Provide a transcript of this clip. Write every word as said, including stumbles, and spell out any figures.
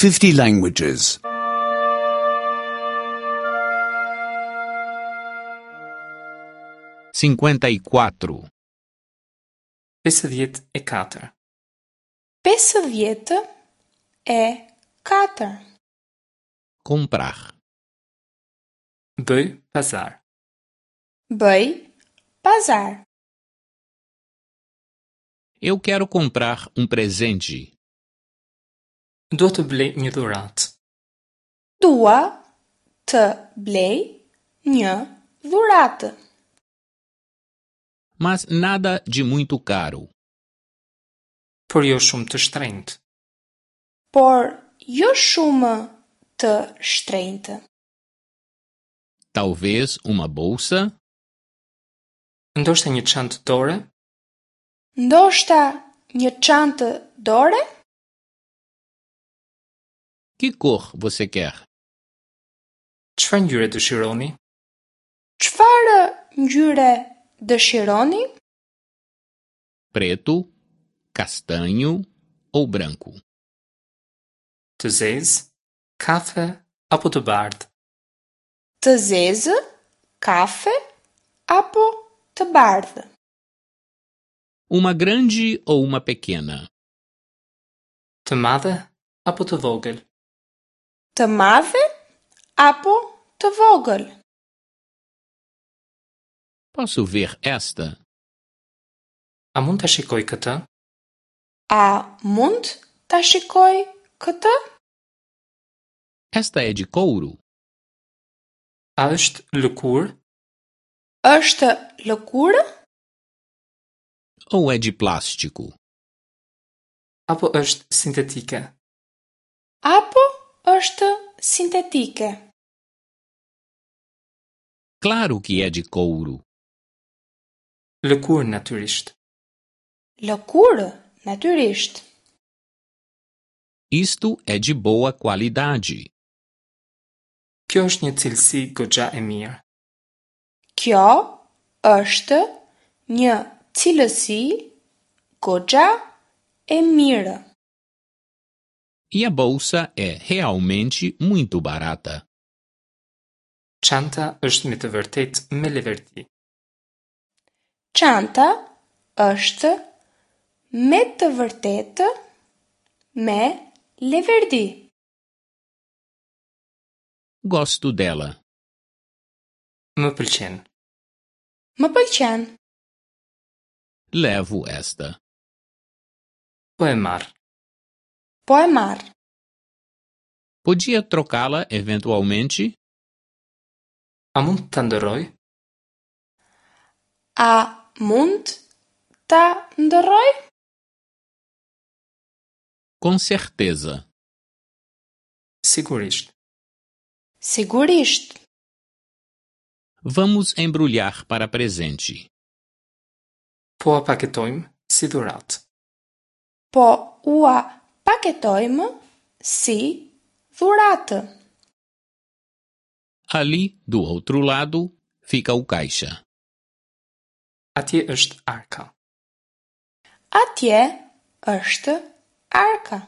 fifty languages. cinquenta e quatro, pesëdhjetë e katër, pesëdhjetë e katër, comprar, Bëj pazar. Bëj pazar. Eu quero comprar um presente. Dua të blej një dhuratë. Dua të blej një dhuratë. Mas nada de muito caro. Por jo shumë të shtrenjtë. Por jo shumë të shtrenjtë. Talvez uma bolsa? Ndoshta një çantë dore? Ndoshta një çantë dore? Que cor você quer? Çfarë ngjyre dëshironi? Çfarë ngjyre dëshironi? Preto, castanho ou branco? Të zezë, kafe apo të bardhë? Të zezë, kafe apo të bardhë? Uma grande ou uma pequena? Të madhe apo të vogël? Të madhe apo të vogël? Posso ver esta? A mund ta shikoj këtë? A mund ta shikoj këtë? Esta é de couro? A është lëkurë? Është lëkurë? Ou é de plástico? Apo është sintetike? Apo është sintetike? Claro que é de couro. Lëkurë natyrisht. Lëkurë natyrisht. Isto é de boa qualidade. Kjo është një cilësi goxha e mirë. Kjo është një cilësi goxha e mirë. E a bolsa é realmente muito barata. Çanta është me të vërtetë me leverdi. Çanta është me të vërtetë me leverdi. Gosto dela. Më pëlqen. Më pëlqen. Levo esta. Po e marr. Po e marr. Podia trocá-la eventualmente? A mund ta ndërroj? A mund ta ndërroj? Com certeza. Sigurisht. Sigurisht. Vamos embrulhar para presente. Po e paketojmë si dhuratë. Po ua paketojmë si dhuratë. Ali, do outro lado, fica o caixa. Atje është arka. Atje është arka.